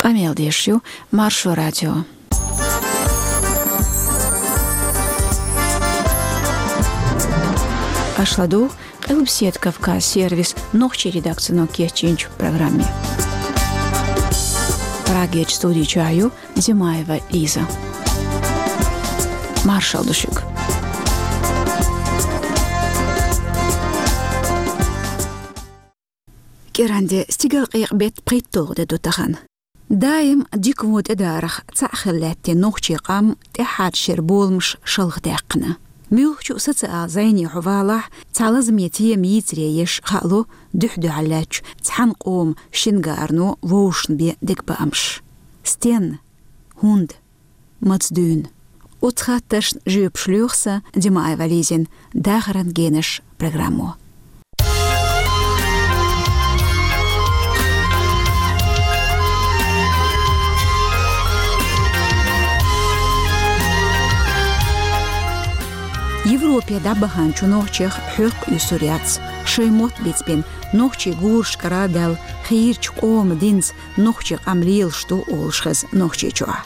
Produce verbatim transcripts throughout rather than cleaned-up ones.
Къамел деш ю Маршо радио. Аша ладугӀу Къилбаседа Кавказ сервисан нохчийн редакцино кечйинчу программе. Прагерчу студи чохь ю Димаева Лиза. Маршалла ду шуьга. КӀиранде стигалкъекъа беттан пхийтталгӀа де ду тахана. Даим дика-вон тӀедарах цхьаъ хила лаьттина нохчийн къам тӀаьххьарчу шеран боламаш шалха даьккхина. Муьлххачу а социал зӀене хьо валахь, цхьа лазаме тема йийцаре еш хаало дуьхь-дуьхьал лаьттачу цхьана къоман шингаро вовшашна бен дегабаамаш. Стенна? ХӀунда? Маца дуьйна? Оцу хаттаршна жоьпаш лоьху сан Димаева Лизина «Дахаран генаш» программо. Европе дӀабаханчу нохчех хьоькхуьйсур яц шайн мотт бицбина, нохчийн гурашкара а даьлла, хийрачу къоман динца нохчийн къам лелаш ду олуш хеза Нохчийчохь.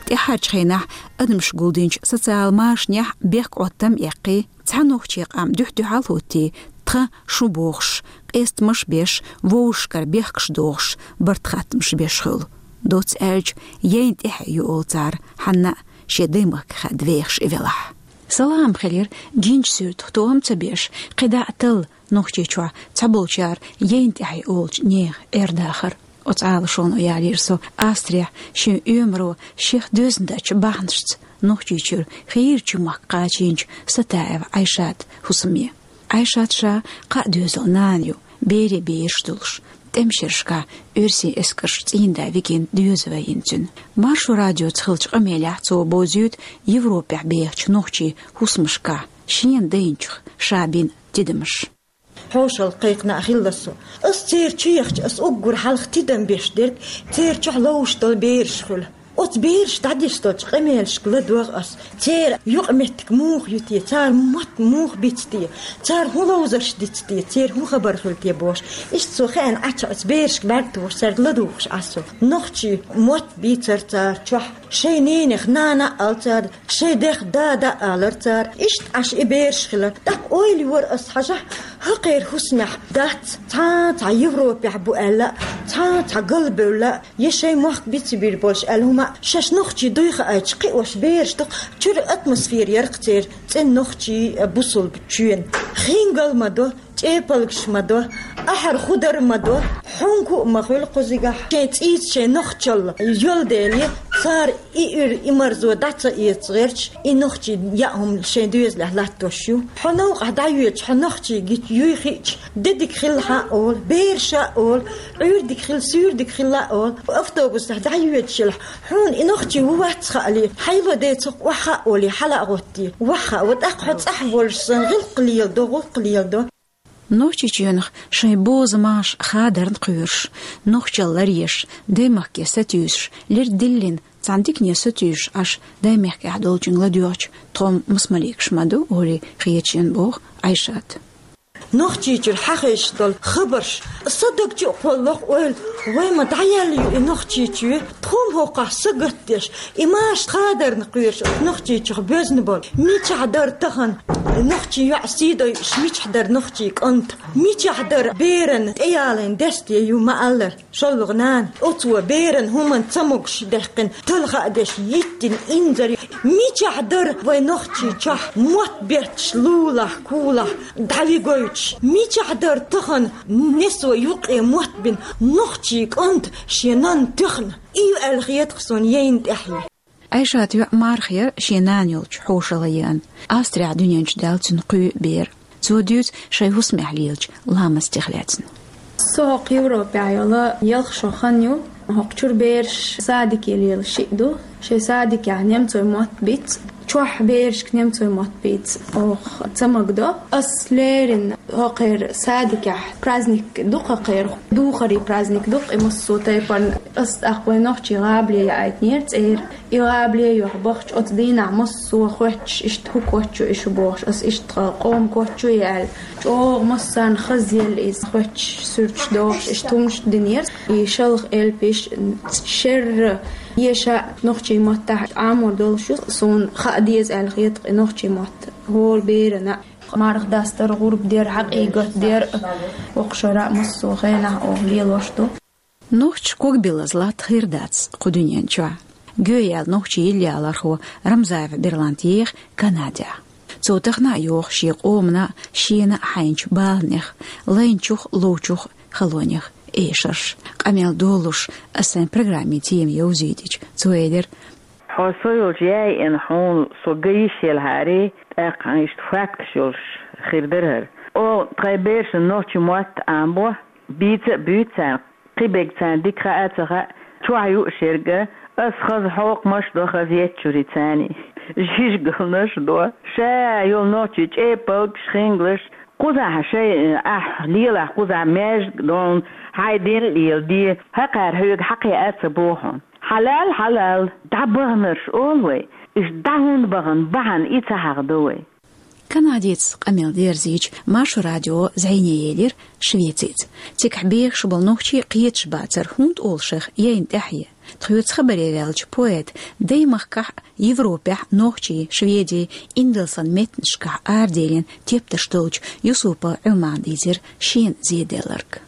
ТӀаьххьарчу хенахь адамаш гулдинчу социал машанехь бехк-Ӏоттам а эккхий, цхьа нохчийн къам дуьхь-дуьхьал а хӀуттий, тхан шун бохуш, къестамаш а беш, вовшашкара бехкаш дохуш, барт-хаттамаш беш хуьлу. Доцца аьлча, яйна тӀаьхье ю олу цара, хьанна а шен даймахках хаьдда вехаш и велахь. Салам хилира гинчу суьртах тоам ца беш, кхидӀа а талла Нохчийчохь цхьаболчара яйна тӀаьхье олучу нехан Ӏер-дахар. Оцу Ӏалашоно ялийра со Австрехь шен оьмаро шех доьзна дечу бахьанашца Нохчийчуьра хийрачу махка кхачийначу Сатаева Ӏайшатан хӀусаме. Ӏайшат ша кхаа доьзалан нана ю, берийн бераш долуш, тӀеман шерашкахь оьрсийн эскарша цӀийнда вигина доьза вайна цуьнан. Маршо радиоца хиллачу къамелехь цо бовзуьйту Европехь бехачу нохчийн хӀусамашкахь шена дайначух ша бина тидамаш. Хьошалла кхайкхина а хилла со. Ас церан чу яхча, ас уггар хьалха тидам беш дерг, церан чохь ловзуш долу бераш хуьлу. Оцу бераш дӀадеш долчу къамелашка ладогӀа ас. Церан юкъаметтиг муха ю те, цара мотт муха биц те, цара хӀун ловзарш диц те, церан хӀун хабар хуьлу те бохуш. Иштта со хеана Ӏача оцу берашка бӀаьрг тухуш, цаьрга ладугӀуш Ӏа со. Нохчийн мотт бийцара цара чохь, шайн ненех нана а олу цара, шайн дех дада а олура цара, иштта Ӏаш и бераш хилар. ТӀаккха ойла йора ас хьажахь, хӀокхеран хӀусамехь дац, цхьа а цхьа Европехь бу аьлла, цхьа а цхьа галбевлла, я шайн мохк бицбийр болуш аьлла хӀума, шаьш нохчий дуй хаийтуш кхиош бераш дукха, чуьра атмосфера яра-кх церан цӀена нохчийн, бусулба чоьнан. Хингал ма до, чӀепалгаш ма до, ахьар худар ма до, хьунку а ма хуьлу кхузигахь. Шайн цӀийца шайн нохчалла йолу дела, цара и уьйр, и марзо дӀа ца эца гӀерташ, и нохчийн яа хӀума шайн доьзалехь латтош ю. Хьо новкъахь дӀайоьдуш, хьо нохчий гича юй хиъча, де дика хилла хьан а олу, бераша а олу, Ӏуьйр дика хилла, суьйр дика хилла а олу, автобусехь дӀайоьдуш елахь, хьуна и нохчий ву вац хаале, хьайла децах охьа а олий, хьала а гӀоттий, вахьа а во, тӀаккха хьо цӀахь волуш санна, гӀиллакх леладо, гӀуллакх леладо. Нохчийчоьнах шайн боза маша хадарна кхоьруш, нохчалла ларъеш, даймахке сатуьйсуш, лерг диллина, цхьана дикане сатуьйсуш Ӏаш даймахкехь долчуьнга ладоьгӀча, тхо-м масмаликаш ма ду, олий хеташ ю боху Ӏайшата. Нохчийчуьра хьахезаш долу хабарш сан даг чу а кхоллалуш ойла, вай ма дӀаяьлла ю и Нохчийчоь, тхо-м хӀокхахь сагатдеш, и маша хадарна кхоьруш оцу Нохчийчохь боьзна болу. Мичахь дара тахана нохчийн йоӀ сий дойуш, мичахь дара нохчийн кӀант, мичахь дара беран тӀеялийна десте ю ма-аллара, шолгӀа нана. Оцо беран хӀуманна ца могуш даьккхина, талха а деш, йиттина инзаре. Мичахь дара вай Нохчийчохь мотт бетташ лулахь, кулахь дӀавигойтуш? Мичахь дара тахана несо юккъе мотт бина нохчийн кӀант шен нанна тоьхна? И ю аьлла хета-кх суна яйна тӀаьхье. Ӏайшатан йоӀ Марха яра шен нана йолчу хьошалла еана. Австрехь дуьнен чу даьлла цуьнан кхо бер. Цо дуьйцу шайн хӀусамехь лелачу ламастех лаьцна. Со хӀокху Европехь йолу ялх шо хан ю. ХӀокху чуьра бераш садике лела шиъ ду. Шайн садикехь немцойн мотт биц. Чохь берашка немцойн мотт бийца оха ца магадо. Ас леррина хӀокхеран садикехь праздник ду-кх хӀокхеран, духаран праздник ду-кх и массо а тайпана. Ас тӀаккха вайн нохчийн гӀабале яийтинера цӀера. И гӀабале йохь бахча оцу дийнахь массо а хоьттуш, иштта хӀун коч ю и шу бохуш, ас иштта тхан къоман коч ю и аьлла. ЧӀогӀа массарна хазъелла иза хоьттуш, суьрташ дохуш, иштта хӀуманаш динера. И шалха элпаш, шерра, еша нохчийн маттахь Ӏамор долуш ю, суна хаа деза аьлла хета-кх и нохчийн мотт. ХӀора берана а, марха дастар, гӀурба дер, хьакъийгат дер, воккхачара а массо а хенахь оха лелош ду. Нохчаша ког билаза латта хир дац кху дуьнен чохь. Гоьяла нохчийн йиллалархо Рамзаев Берлант еха Канадехь. Цо тахана а йоху шен къомана а, шена а хьайначу баланех, лайначух а, ловчух а халонех эшарш. Къамел долуш, ас сайн программин тема йовзийтича, цо элира: «Хьо со йолчу яйъина хьуна со ган йиш елхьара, тӀаккха хьан иштта факташ йолуш хир дара хӀара. Оха тхайн берашна нохчийн мотт Ӏамабо, бийца а буьйцу царна, кхин берг царна дика хаа а ца хаьа, чохь ю а шерга, ас хаза хьокхамаш а до, хаза еттачуьра царна жижигалнаш а до. Ша йолу нохчийн чӀепалгаш, хингалш, кхузахь шайн, ахь лелахь кхузахь маьждиг а долу, хьайн дин а леладе, хӀокхара хьоьга хьакхиа а ца боху хьуна. Хьалал, хьалал, дӀабаханарш олу вай, иштта дӀа хӀунда бахана бахьана и ца хьахадо вай». Канадица къамел дерзийча, Маршо радио зӀене елира Швецица. Цигахь бехаш болу нохчий кхеташ бацара, хӀунда олу шайх яйна тӀаьхье. Тхоьца хабаре ваьллачу поэта Даймахкахь а, Европехь а нохчийн, шведийн, индалсан меттанашкахь араделлина тептарш долчу Юсупов Ӏумана дийцира шена зеделларг.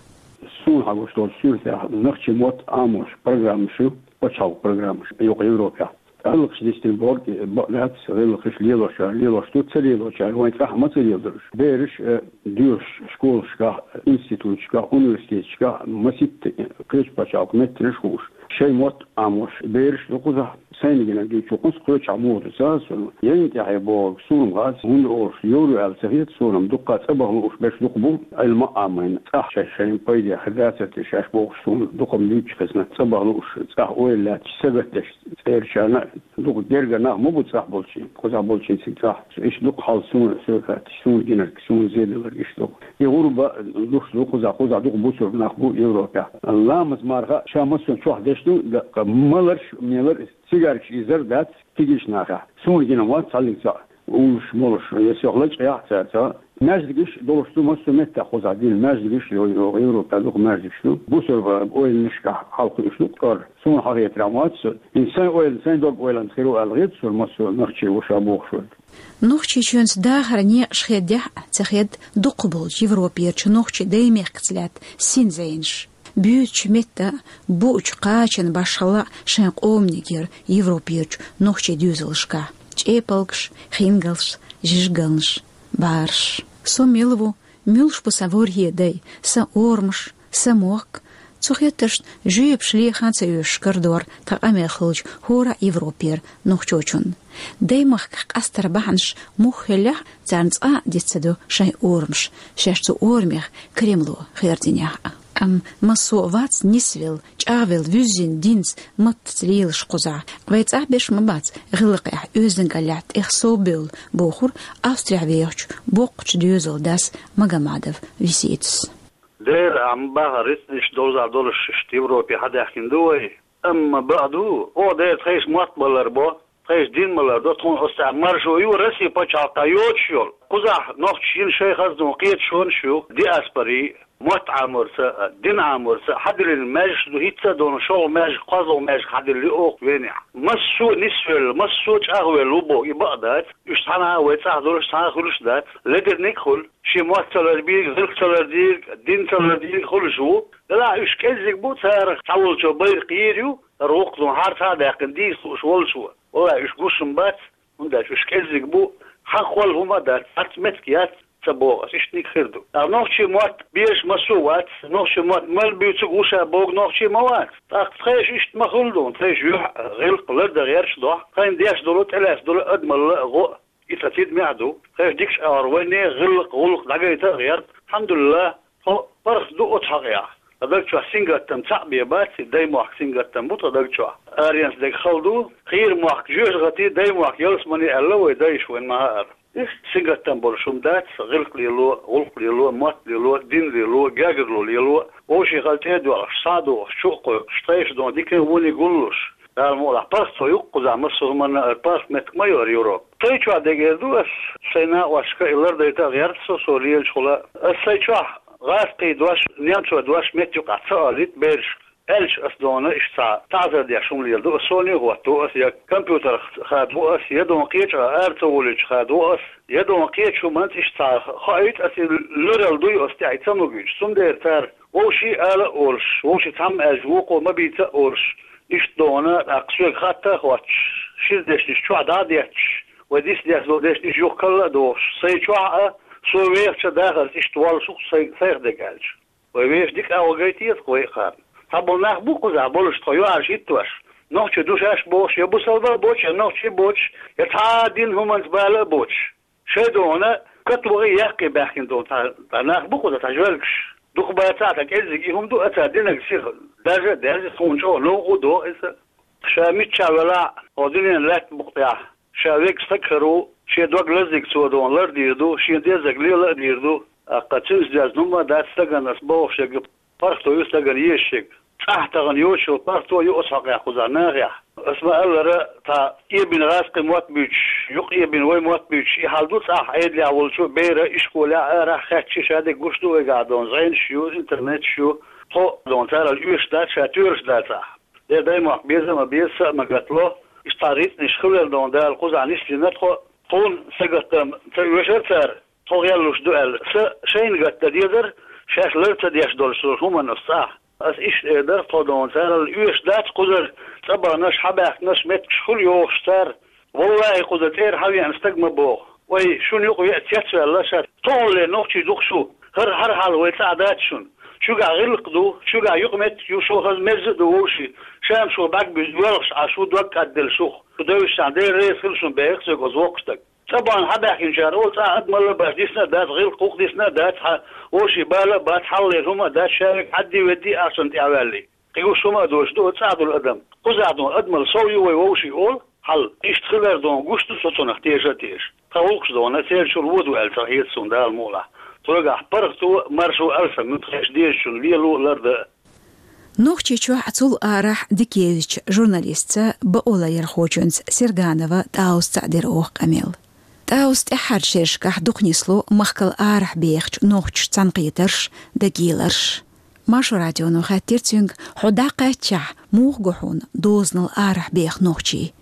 Суна хьагуш долчу суьртехь нохчийн мотт Ӏамош программаш ю, пачхьалкхан программаш, юха Европехь. ГӀиллакхаш дисина бохург бакъ дац, гӀиллакхаш лелочара лелош ду, ца лелочара вайн цӀахь ма ца леладара уьш. Бераш, э, доьшуш школашкахь, институташкахь, университеташкахь, маситта кхечу пачхьалкхан меттанаш хууш, шайн мотт Ӏамош бераш ду кхузахь. Сайна гинарг чу кхунца кхечахь муха ду ца хаьа суна. Яйна тӀаьхье бохург суна-м хаьа, хӀунда олуш, йовр ю аьлла ца хета суна-м, дуккха цӀа баха лууш берш дукха бу, Ӏилма а Ӏамийна, цӀахь шаьш шайна пайде хир дацара те шаьш бохуш суна дукха-м дуьйцуш хезна, цӀа баха лууш, цӀахь ойла лаьтташ, сагатдеш цӀерачарна а, дукха гергара нах ма бу цӀахь болчийн, кхузахь болчийн цига цӀахь. Иштта дукха хьал суна, суна хаьттича, суна гинарг, суна зеделларг иштта ду. И гӀурба луш ду кхузахь, кхузахь дукха бусург нах бу Европехь. Ламаз, марха ша массо а чохь деш ду, ткъа маларш, мелар, цигаркаш изар дац кегийчу нахехь. Суна гина вац цхьаллиг цхьаъ, уллуш, молуш, я сох лачкъа яхь цара цхьаъ. Маьждигаш долуш ду массо а меттехь кхузахь дина, маьждигаш ю, ю, Европехь дукха маьждигаш ду. Бусурба ойланашкахь хьалакхуьуш ду кӀор. Суна хьахетарехь вац со. ХӀинца сайн ойла, сайн дог-ойланца хир ву аьлла хета суна массо а нохчи ву ша бохуш верг. Нохчийчоьнца дахаран некъаш хедехь а, ца хедда дукхахболчу Европерчу нохчийн даймехкаца лаьтта син зӀенаш. Буьйцучу метта а, буучу кхачанан башхалла а шайн къоманиг яра Европерчу нохчийн доьзалшкахь: чӀепалгаш, хингалш, жижигалнаш, бӀараш. Со мила ву, муьлш бу сан ворхӀе дай, сан орамаш, сан мохк? Цу хеттаршна жоьпаш леха а ца оьшуш карадора тхан къамел хиллачу хӀора а Европера нохчочунна. Даймахках къастаран бахьанаш муха хиллехь а, царна цкъа а диц ца до шайн орамаш, шаьш цу орамех Кремло хердинехь а. Амма массо а вац нисвелла, чӀагӀвелла, вуьззина динца, маттаца лелаш кхузахь. Вай цӀахь берш ма бац гӀиллакхехь, оьздангаллехь тӀех совбевлла, бохура Австрехь вехачу боккхачу доьзалан дас Магомадов Виситас. Дера, ахьа ма бахара, рицкъанаш довза долуш иштта Европе хьадаьхкина ду вай. Амма бакъ ду, оха дера тхайша мотт ма ларбо, тхайша дин ма лардо, тхуна оцу тӀехь маршо ю Россин пачхьалкхехь йоцуш йолу. Кхузахь нохчаша йина шайн хазна кхеташонаш ю, диаспорин, мотт Ӏаморца а, дин Ӏаморца а, хьадиллина маьждигаш ду, хӀинца а долу шолгӀа маьждиг, кхозлагӀа маьждиг хьадиллина оха Венехь. Массо а нисвелла, массо а чӀагӀвелла ву боху, и бакъ дац. Уьш цхьана а вай цӀахь долуш, цхьана а хуьлуш дац. Ледерниг а хуьлу, шен мотт ца лардийриг, гӀиллакх ца лардийриг, дин ца лардийриг хуьлуш ву. Делахь уьш кӀеззиг бу, царах цхьаволчо байракх йийр ю, хӀара вукху зун хьарца а даьккхина дийца лууш волчо. Валлахь, уьш гуш-м бац, хӀунда аьлча уьш кӀеззиг бу, хьан холла хӀума а дац, цхьацца меттиг яц, ца боху ас, иштаниг хир ду. ТӀаккха нохчийн мотт безаш массо а вац, нохчийн мотт мел буьйцург ву ша бохург нохчи ма вац. ТӀаккха тхайша иштта ма хуьлу дуьйна, тхайша юьхь а, гӀиллакх а лардан гӀерташ дохьа, тхайна деш долу, тӀелаьцна долу адамалла а, гӀо а. И ца тидаме а ду. Тхайша дикачу агӀор вайне гӀиллакх, гӀуллакх дӀагайта а гӀерта. Алхьамдулиллах, тхо паргӀат ду оцу хьокъехь. Тха даг чохь сингаттам цхьаъ бен бац, и даймохк сингаттам бу тха даг чохь. Аренца дерг хала ду, кхийра мохк жоьжахати, даймохк ялсамани аьлла вай дайша вайна ма хаъара. Иштта сингаттам болуш хӀума дац, гӀиллакх лело, гӀуллакх лело, мотт лело, дин лело, гергарло лело, вовшийн хала тӀе а доьлхуш, схьа а дохуш, чу а кхойкхуш, тхайша дона дикан а, вониг а гуллуш. Дала мукъалахь, паргӀат цо ю-кх кхузахь массо а хӀуманна, ара паргӀат меттиг ма ю ара Европа. Тхай чохь дерг эр ду ас, сайн накъосташка и лардарийта а гӀерта со, со лелачу хила. Ас сайн чохь гӀазкхийн дош, немцойн дош меттан юкъахь ца олийта берашка. Аьлча ас дона иштта цхьа таӀзар деш хӀума леладо ас, соне а хӀотто ас, я компьютерах хадо ас, я дона кхечу а ара ца волуьйтуш хадо ас, я дона кхечу хӀуманца иштта цхьа хоуьйту ас, и луьралла дуй ас тӀехь, и ца магуьйтуш. Цундела цара вовшийн ала а олуш, вовшийн цхьамма аьлча вукхо ма бийца а олуш, иштта дона, тӀаккха соьга хатта а хоттуш, шира дешнаш чохь дӀа а детташ, вай дицдеш долу дешнаш юха карла а дохуш, сайн чохь а, со вехачу а дахарца иштта воллуш ву-кх сайн, сайх дерг аьлча. Вай вешан дика агӀо гайта еза-кх вай а кхарна. Цхьаболу нах бу кхузахь болуш тхо юьхьӀаьржа хӀиттош, нохчий ду шаьш бохуш, я бусалба а боцуш, я нохчий а боцуш, я цхьа а динан хӀуманца бала а боцуш. Шайн дона катвахий, яккхий баьхкина долу цхьа, цхьа нах бу кхузахь, цхьа жоьлгаш. Дукха бацахь а, цхьа кӀеззиг и хӀума ду, ацара динарг сиха даржа а даьржа, тхуна чӀогӀа новкъа а доху иза. Ша миччахь велахь а, хӀокху дуьненан лаьттан букъа тӀехь ша верг стаг хир ву, шен дог лазийга цо дона лардийр ду, шен дезарг лела а дийр ду. ТӀаккха цуьнца доьзна хӀума а дац стагана ас бохуш ерг, паргӀато ю стагана езаш ерг. ЦӀахь тахана йоцуш йолу паргӀато ю оцу хьокъехь кхузахь нахехь. Ас ма-аллара, цхьа эбина гӀазкхийн мотт буьйцуш, юкъа эбина вай мотт буьйцуш, и хьал ду цӀахь Ӏедалехь волчу бера, ишколехь, арахь хаьттича, ша дерг гуш ду вайгахь дона зӀенаш ю, интернеташ ю. Тхо дона царал оьшуш дац, ша тоьлуш дацахь. Дера даймохк беза а ма беза, са а ма гатало. Иштта цхьа рицкъанаш хилар дона Дала кхузахь нисдина тхо. Тхуна сагатдан ца оьшура цара, тхо гӀеллуш ду аьлла. Сан шайна гатдан дезара, шаьш лар ца деш долуш долу хӀуманаш цӀахь. Ас иштта эр дара тхо дона царал оьшуш дац кхузара, цӀа баханаш, хьабаьхкинарш меттигаш хуьлу йохуш цара. Валлахьи, кхуза цӀера хьан веана стаг ма боху: «Вай, шуна юкъа веа цецваьлла ша, тхо хӀалле нохчий ду-кх шу, хӀара хьархьалла вай цӀахь дац шуна. Шуьгахь гӀиллакх ду, шуьгахь юкъаметтиг ю, шу хаза мерза а ду вовший, ша-м шу бӀаьрг буьзна воьлхуш Ӏа, шу дог кӀадделла шух, шу девзаш цхьана Дела реза хила шуна», — боху соьга оцу воккхачу стага. ЦӀа бахана хьабаьхкинчара олу цӀа адамалла а бац, дисна а дац, гӀиллакх хӀух дисна а дац, хьан вовший бала а бац, хьалхалера хӀума а дац, ша верг хьадди-ведди ахчанна тӀе а ваьллий. Кхин гуш хӀума а доцуш ду оцу цӀахь долу адам. Кхузахь дона адамалла сов ю вай вовший олу, хьал иштта хилар дона гуш ду со цунах теша а теша. Тхан гӀуллакхаш дона церан чуьра вон ду аьлла ца хета суна Дала мукъалахь. Цуьнгахь паргӀато а, маршо а алсам ю тхешан дезачунна лело а, лардан а. Нохчийчохь а, цул арахь а дика евзачу журналистца бакъоларъярхочуьнца Серганова ТӀаусца а дира оха къамел. ТӀаусца тӀаьххьарчу шерашкахь дукха нисло махкал арахь бехачу нохчашца цхьаьнакхетарш, дагийларш. Маршо радионо хаьттира цуьнга: «Хьо дӀакхаьччахь, муха го хьуна дозанал арахь беха нохчий?»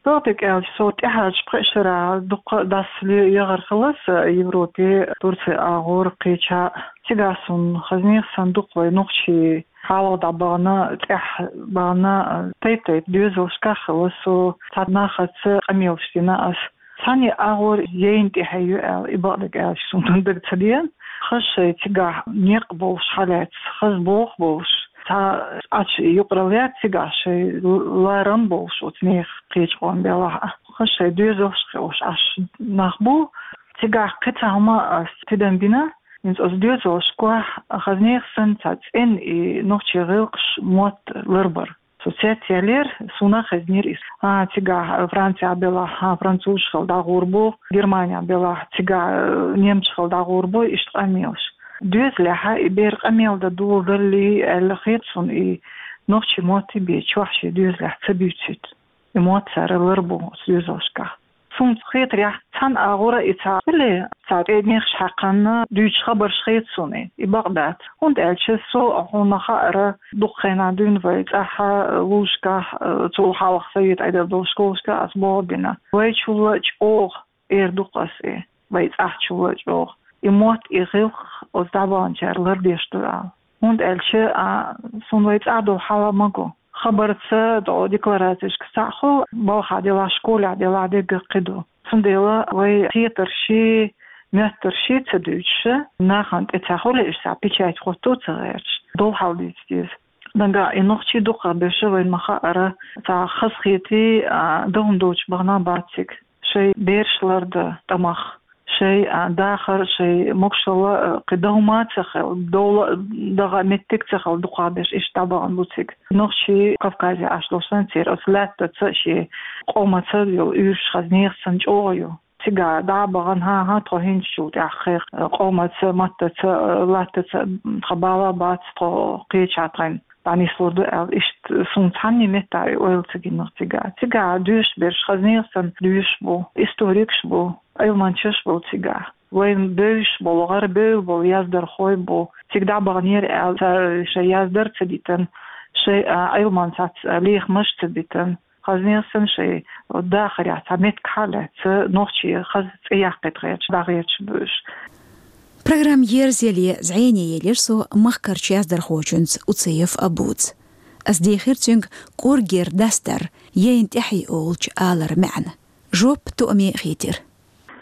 Догдиг аьлча, со тӀаьхьарчу пхи шарахь дуккха а дӀасале яхар хилла сан Европе, Турце агӀор кхечахь а. Цигахь суна хазнех санна дукха вай нохчий хьалха дӀабахана, тӀаьхьа бахана, тайп-тайпа доьзалшкахь хилла со, цхьа нахаца къамелаш дина ас. Цхьанне агӀор яйна тӀаьхье ю аьлла, и бакъдерг аьлча, суна дага ца деана. Хаза шайн цигахь некъ болуш хьалаьцна, хаза боху болуш, цхьа Ӏачу юкъаралла яц цигахь шайн ларам болуш оцу нехан кхечу къоман белахь а. Хаза шайн доьзалш а хууш Ӏаш нах бу. Цигахь кхин цхьа хӀума ас тидам бина, хӀинца оцу доьзалшкахь хазнех санна цхьа цӀена и нохчийн гӀиллакхаш, мотт ларбар. Со цецъяьллера, суна хазнера иза. ХӀан, цигахь Францехь белахь, хӀан, французаш хила дӀагӀур бу, Германехь белахь, цигахь, э, немцаш хила дӀагӀур бу, иштта къамелаш. Доьзалехь и бер къамел дан доладаллий аьлла хета суна, и нохчийн мотт бен чохь шен доьзалехь ца буьйцуьйту. И мотт цара ларбо оцу доьзалшкахь. Суна хетарехь, цхьана агӀора и ца хиле, цхьа тӀе нехаш хьаькхна дуьйцуш хабарш хета суна и, и бакъ дац. ХӀунда аьлча со, хьуна ма хаъара, дукха хенахь дуьйна вай цӀахь а, вузашкахь а, цул хьалха совет Ӏедал долу школашкахь ас болх бина. Вайчул а чӀогӀа, эр ду-кх ас и, вай цӀахьчул а чӀогӀа. И мотт, и гӀиллакх оцу дӀабаханчара лардеш ду аьлла. ХӀунда аьлча, а, суна вай цӀахь долу хьал ма го. Хабарца, тӀо декларацешка цхьаъ хуьлу, балхахь делахь, школехь делахь, дерриг кхин ду. Цундела вай хетарший, моьттарший ца дуьйцуш, нахана тӀе ца хуьлуьйтуш, цхьа печать хӀотто ца гӀерташ, долу хьал дийца деза. Нагахь и нохчий дукхахберш, вайна ма хаъара, цхьа хазахетий, а, дан хӀума доцуш бахана бац цига. Шайн бераш лардан тӀамах, Шоай, а, дахар, шоай могашалла, а, кхы дов ма ца хилла, довла дагӀа меттиг ца хилла дукхагӀберш иштта дӀабахана бу цига. Нохчий Кавказе Ӏаш долча санна церан оцу лаьттаца, шен къомаца йолу уьйраш хаза нехан санна чӀогӀа ю. Цигахь дӀа а бахана, хӀан-хӀа, тхо хӀинцачул тӀаьхьа кхин къомаца, маттаца, лаьттаца тхан бала бац, тхо кхечахьа тхайна дӀанислур ду аьлла, иштта суна цхьанне меттехь и ойла ца гина цигахь. Цигахь доьшуш берш хаза нехан санна доьшуш бу, историкаш бу, Ӏилманчаш бу цигахь. Вайн бевзаш болу, гӀарабевлла болу яздархой бу. Цига дӀа а баханера аьлла, цара шайн яздар а ца дитина, шайн, а, Ӏилманца, а, лехамаш а ца битина. Хаза нехан санна шайн дахарехь цхьа меттиг хьалаьцна, нохчийн хаза цӀе яккхийта гӀерташ, дӀагӀерташ бу уьш. Программа ерзаяле зӀене елира со махкарчу яздархочуьнца Уцаев Абуца. Ас дехира цуьнга кӀоргера дастар, яйна тӀаьхье олучу аларан маьӀна. Жоп тоьаме хийтира.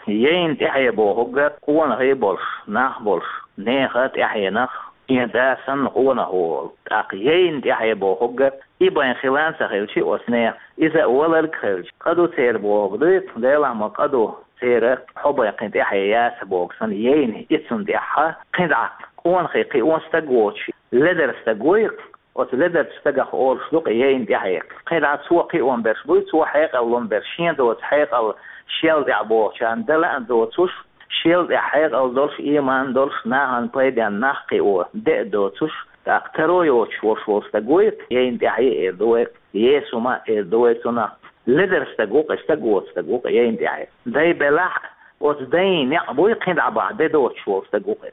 Яйна тӀаьхье бохург къонахий болуш, нах болуш, нехан тӀаьхьенах, шен да санна къонах волу. ТӀаккха яйна тӀаьхье бохург и бен хилла ца хилча оцу нехан, иза а валарг хилча, къа ду церан бохург дуй, Делахь ма къа ду церан, хьо бен кхин тӀаьхье яц бохург санна, яйна и цунна тӀаьхьа кхин дӀа къонахий кхио стаг воцуш, ледара стаг вуй, оцу ледарчу стагах олуш ду-кх яйна тӀаьхье. Кхин дӀа цо кхион берш буй, цо хьекъал лун берш, шен доцу хьекъал шел тӀехь бохучарна дан лаьа доцуш, шел тӀехь хьекъал долуш, ийман долуш, нахана пайденна нах кхио де а доцуш, тӀаккха таро йоцуш волуш волу стаг вуй, яйна тӀаьхье эр ду вай, Есума эр ду вай цунах. Ледара стаг ву-кх и, стаг воцу стаг ву-кх и яйна тӀаьхье. Дай белахь, оцу дайн некъ буй, кхин дӀа бахьа де доцуш волу стаг ву-кх и.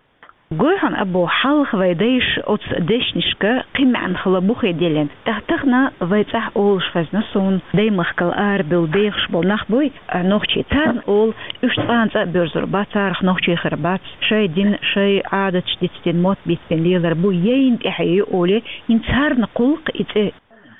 Гой хьуна, Абу, хьалха вай дайша оцу дешнашка кхин маьӀна хилла бу хи деллина. ТӀаккха тахана вай цӀахь олуш хезна суна, даймахкал арабевлла бехаш болу нах буй, а, нохчий. Царна олу, уьш цкъа а цӀа а боьрзур бац, царах нохчий хир бац, шайн дин, шайн Ӏадаташ дицдина, мотт бицбина лелар бу, яйна тӀаьхье ю олий, хӀинца царна кхуллу-кх и цӀе.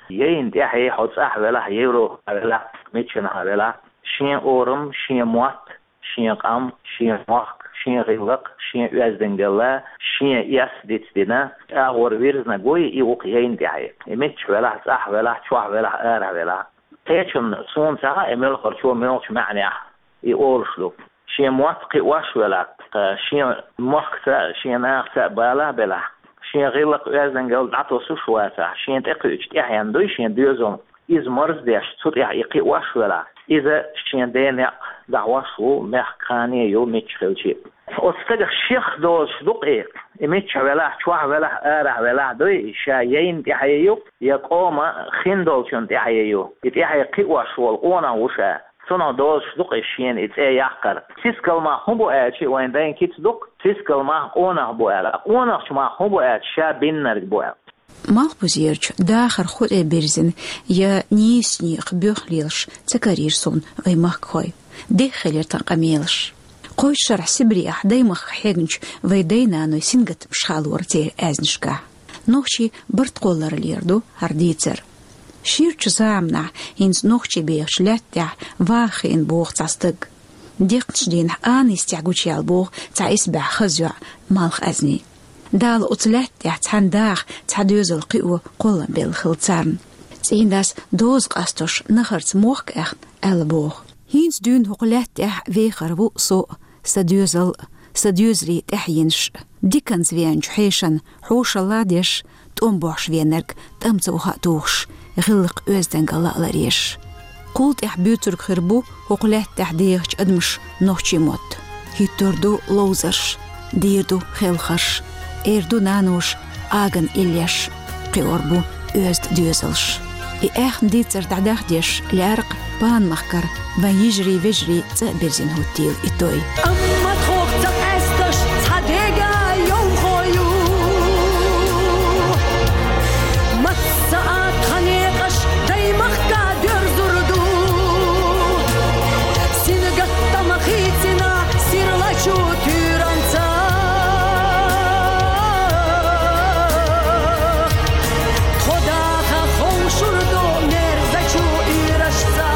Яйна тӀаьхье хьо цӀахь велахь, Европа велахь, миччанхьа велахь, шен орам, шен мотт, шен къам, шен мохк, шен гӀиллакх, шен оьздангалла, шен эс дицдина, агӀор вирзинарг вуй, и ву-кх яйна тӀаьхье. И миччахь велахь, цӀахь велахь, чохь велахь, арахь велахь. Кхечунна, суна ца хаьа, и муьлххачо муьлххачу маьӀнехь и олуш ду. Шен мотт кхиош велахь, шен мохкаца а, шен нахаца а бала а белахь, шен гӀиллакх, оьздангалла дӀатосуш вацахь, шен тӀекхуьучу тӀаьхьенна дуй шен доьзал, иза марздеш, цу тӀехь и кхиош велахь, иза шен ден некъ дахьош ву, мехкан кхане ю, мичча хилчи. Оцу стагах шех доцуш ду-кх и, и миччахь велахь, чохь велахь, арахь велахь дуй, ша яйна тӀаьхье ю, я къоман хин долчун тӀаьхье ю. И тӀаьхье кхиош волу къонах ву ша. Цунах доцуш ду-кх и шена и цӀе яккхар. Сискал мах хӀун бу аьлчи, вайн дайн кица ду-кх, сискал мах къонах бу аьлла. Къонахчу мах хӀун бу аьлча, ша биннарг бу аьлла. Малхбузерчу дахар хӀу тӀе бирзина я нийса некъах боьха лелаш ца карийра суна вай махкахой. Деххе хилира тхан къамелаш. Кхойчу шарахь Сибрех даймахка хьегначу вай дай-наной сингаттамаш хаалора церан аьзнашкахь. Нохчий барт кхолларалера ду хӀара дийцар. Ширачу заманахь хӀинца нохчий бехачу лаьтта тӀехь ваха хиъна боху цхьа стаг. Декхначу дийнахь Анисехь гучуяьлла боху цхьа исбаьхьа хаза йоӀ Малхазни. Дала оцу лаьтта тӀехь цхьана даха, цхьа доьзал кхио кхоллам белла хилла царна. ЦӀийнан дас доза къастош нахарца мохк аьхна аьлла боху: «ХӀинца дуьйна хӀокху лаьтта тӀехь вехар ву со а, сан доьзал а, сан доьзалийн тӀаьхьенаш а. Диканца веанчу хьешан хьошалла а деш, тӀом бохьуш веанарг тӀамца ваха а тухуш, гӀиллакх-оьздангалла а ларъеш. Кхул тӀаьхьа буьйцург хир бу хӀокху лаьтта тӀехь дехачу адамаша нохчийн мотт. ХӀиттор ду ловзарш, дийр ду хелхарш, эр ду наноша аган иллеш, кхиор бу оьзда доьзалш». И аьхна дийцар дӀадахдеш лаьркъа Панмахкара вайн йижарий-вежарий цӀа а бирзина хӀуттийла и той. Амма тхох ца къаьсташ цхьа дега йовхо ю. Масса а тхан некъаш даймахка доьрзур ду. Сингаттам хийцина сирлачу туьйранца. Тхо даха ховшур ду мерзачу уьйрашца.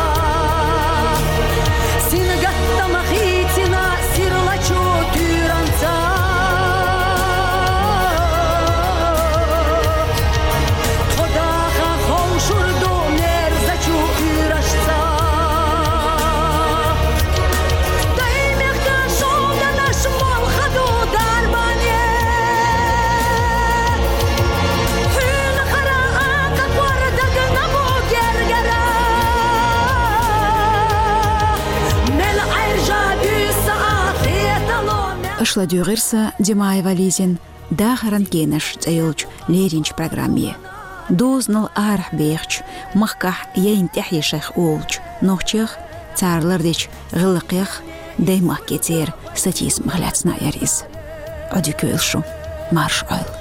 Сингаттам хийцина сир Аша ладугӀура са, Димаева Лизина, «Дахаран кенаш» цӀе йолчу леринчу программе. Дозанал арахь бехачу, махкахь яйна тӀаьхье шайх олучу нохчех, цара лардечу гӀиллакхех, даймахке церан сатийсамах лаьцна яра иза. Ӏодика йойла шу, марша Ӏойла.